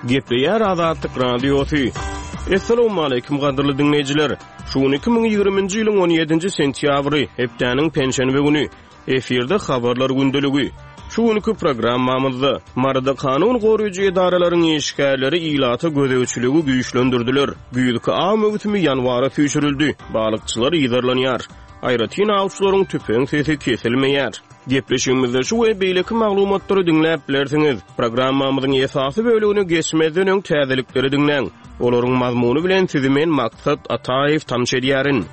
Gepleýär Azatlyk Radiosy. Essalawmaleýkim gadyrly diňleýjiler! Şu gün 2020-nji ýylyň 17-nji sentýabry, hepdäniň penşenbe güni. Efirde habarlar gündeligi. Şu günki programmamyzda Maryda kanun goraýjy edaralaryň işgärleri ilata gözegçiligi güýçlendirdiler. Güýzki aw möwsümi ýanwara süýşürildi. Balykçylar yzarlanýar. Aýratyn awçylaryň tüpeň sesi kesilmeýär. Gepleşigimizde şu we beýleki maglumatlary diňläp bilersiňiz. Programmamyzyň esasy bölegine geçmezden öň täzelikleri diňläň. Olaryň mazmuny bilen sizi men Maksat Ataýew tanyş edýärin.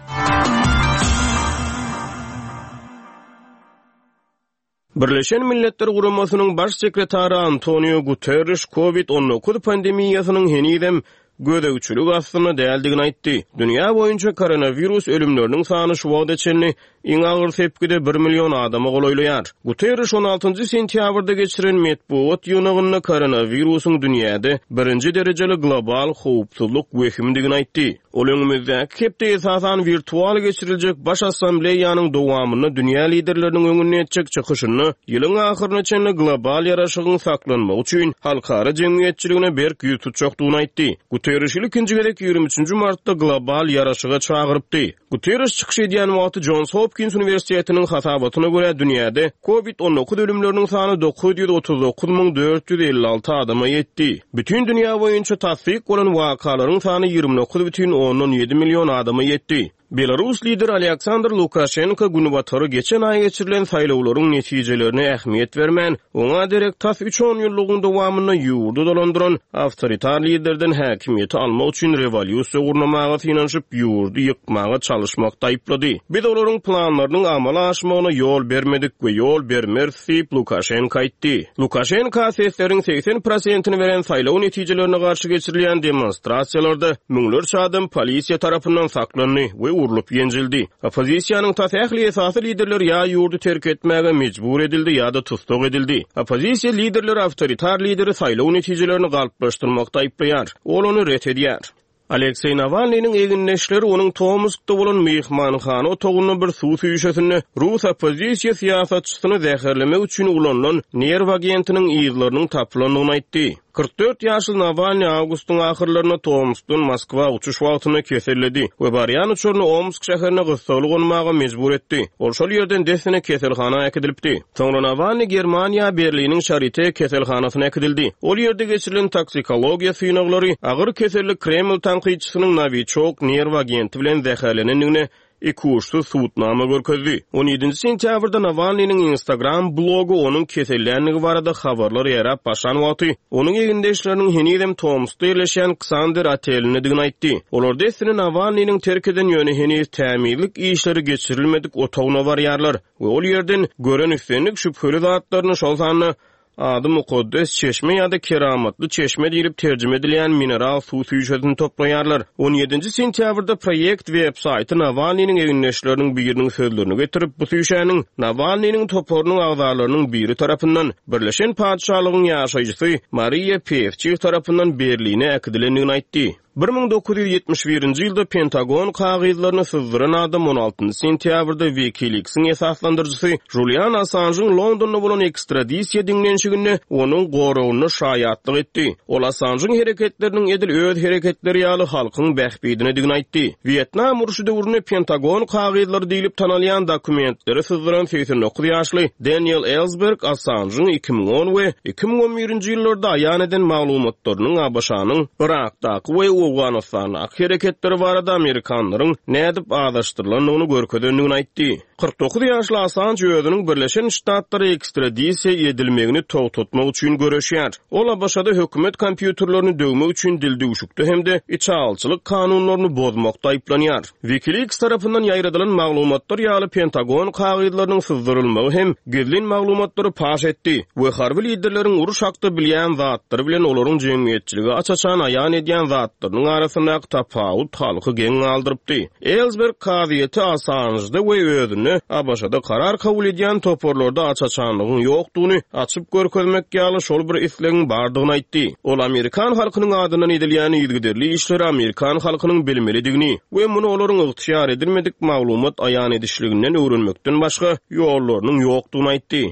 Birleşen Milletler Guramasynyň Baş sekretary Antonio Guterriş Covid 19 pandemiýasynyň henizem gözegçilik astynda däldigini aýtdy. Dünýä boýunça koronawirus ölümleriniň sany şu wagta çenli iň agyr sepgide bir million adama golaýlaýar. Guterriş on altynjy sentýabrda geçiren metbugat ýygnagynda koronawirusyň dünýäde birinji derejeli global howpsuzlyk wehimidigini aýtdy. Ol öňümizdäki hepde esasan wirtual geçiriljek Baş Assambleýanyň dowamynda dünýä liderleriniň öňünde etjek çykyşynda ýylyň ahyryna çenli global ýaraşygyň saklanmagy üçin halkara jemgyýetçiligine berk ýüz tutjakdygyny aýtdy. Guterriş ilkinji gezek 23 nji martda global ýaraşyga çagyrypdy. Guterriş çykyş edýän wagty Jons Hopkins uniwersitetiniň hasabatyna görä dünýäde Covid 19 ölümleriniň sany 939 456 adama ýetdi. Bütin dünýä boýunça tassyk bolan wakalaryň sany 29,7 million adama ýetdi. Belarus lideri Alýaksandr Lukaşenko Günbatara geçen aý geçirilen saýlawlaryň netijelerine ähmiýet bermän, oňa derek tas üç onýyllygyň dowamynda ýurdy dolandyran awtoritar liderden häkimiýeti almak üçin rewolýusiýa gurnamaga synanyşyp, ýurdy ýykmaga çalyşmakda aýyplady. Biz olaryň planlarynyň amala aşmagyna ýol bermedik we ýol bermeris diýip, Lukaşenko aýtdy. Lukaşenko sesleriň 80 prosentini beren saýlaw netijelerine garşy geçirilýän demonstrasiýalarda müňlerçe adam polisiýa tarapyndan saklandy we urlup ýenjildi. Oppozisiýanyň tas ähli esasy liderleri ýa ýurdy terk etmäge mejbur edildi ýa-da tussag edildi. Oppozisiýa liderleri awtoritar lideri saýlaw netijelerini galplaşdyrmakda aýyplaýar. Ol ony ret edýär. Alekseý Nawalnynyň egindeşleri onuň Tomskda bolan myhmanhana otagynda bir suw çüýşesinde rus oppozisiýa syýasatçysyny zäherlemek üçin ulanylan nerw agentiniň yzlarynyň tapylandygyny aýtdy. 44 ýaşly Nawalnyý awgustyň ahyrlarynda Tomskdan Moskwa uçuş wagtynda keselledi we barýan uçaryny Omsk şäherine gyssagly gonmaga mejbur etdi. Ol şol ýerden dessine keselhana äkidilipdi. Soňra Nawalnyý Germaniýa, Berliniň Şarite keselhanasyna äkidildi. Ol ýerde geçirilen toksikologiýa synaglary agyr keselli Kreml tankytçysynyň Nowiçok nerw agenti bilen zäherlenendigine ikuçsuz subutnama görkezdi. On ýedinji sentýabrda Nawalnynyň Instagram blogy onuň keselländigi barada habarlar ýaýrap başlan wagty, onuň egindeşleriniň henizem Tomskda ýerleşýän Ksander otelindedigini aýtdy. Olar dessine Nawalnynyň terk eden, ýöne heniz tämizlik işleri geçirilmedik otagyna barýarlar. We ol ýerden gören islendik şübheli zatlaryny, şol sanda ady mukaddes çeşme ýa-da keramatly çeşme diýlip terjime edilýän mineral suw çüýşesini toplaýarlar. On ýedinji sentýabrda proýekt web-saýty Nawalnynyň egindeşleriniň biriniň sözlerini getirip, bu çüýşäniň Nawalnynyň toparynyň agzalarynyň biri tarapyndan, Birleşen Patyşalygyň ýaşaýjysy Mariýa Pewçih tarapyndan Berline äkidilendigini aýtdy. 1971-nji ýylda Pentagon kagyzlaryny syzdyran adam on altynjy sentýabrda WikiLeaks-iň esaslandyryjysy Julian Assanjyň Londonda bolan ekstradisiýa diňlenişiginde onuň goragynda şaýatlyk etdi. Ol Assanjyň hereketleriniň edil öz hereketleri ýaly halkyň bähbidinedigini aýtdy. Wýetnam urşy döwründe Pentagon kagyzlary diýlip tanalýan dokumentleri syzdyran 89 ýaşly Deniel Ellsberg Assanjyň 2010 we 2011-nji ýyllarda aýan eden maglumatlarynyň ABŞ-nyň Yrakdaky we Owganystandaky hereketleri barada amerikanlaryň nädip azaşdyrylandygyny görkezendigini aýtdy. 49 ýaşly Assanj özüniň Birleşen Ştatlara ekstradisiýa edilmegini togtatmak üçin göreşýär. Ol ABŞ-da hökümet kompýuterlerini döwmek üçin dildüwşükde hem-de içalyçylyk kanunlaryny bozmakda aýyplanýar. WikiLeaks tarapyndan ýaýradylan maglumatlar ýaly Pentagon kagyzlarynyň syzdyrylmagy hem gizlin maglumatlary paş etdi we harby liderleriň uruş hakda bilýän zatlary bilen olaryň jemgyýetçilige aç-açan aýan edýän zatlarynyň arasyndaky tapawut halky geň galdyrypdy. Ellsberg kazyýeti Assanžda we özünde ABŞ-da karar kabul edýän toparlarda aç-açanlygyň ýokdugyny açyp görkezmek ýaly şol bir islegiň bardygyny aýtdy. Ol amerikan halkynyň adyndan edilýän yzygiderli işleri amerikan halkynyň bilmelidigini we muny olaryň ygtyýar edilmedik maglumat aýan edişliginden öwrenmekden başga ýollarynyň ýokdugyny aýtdy.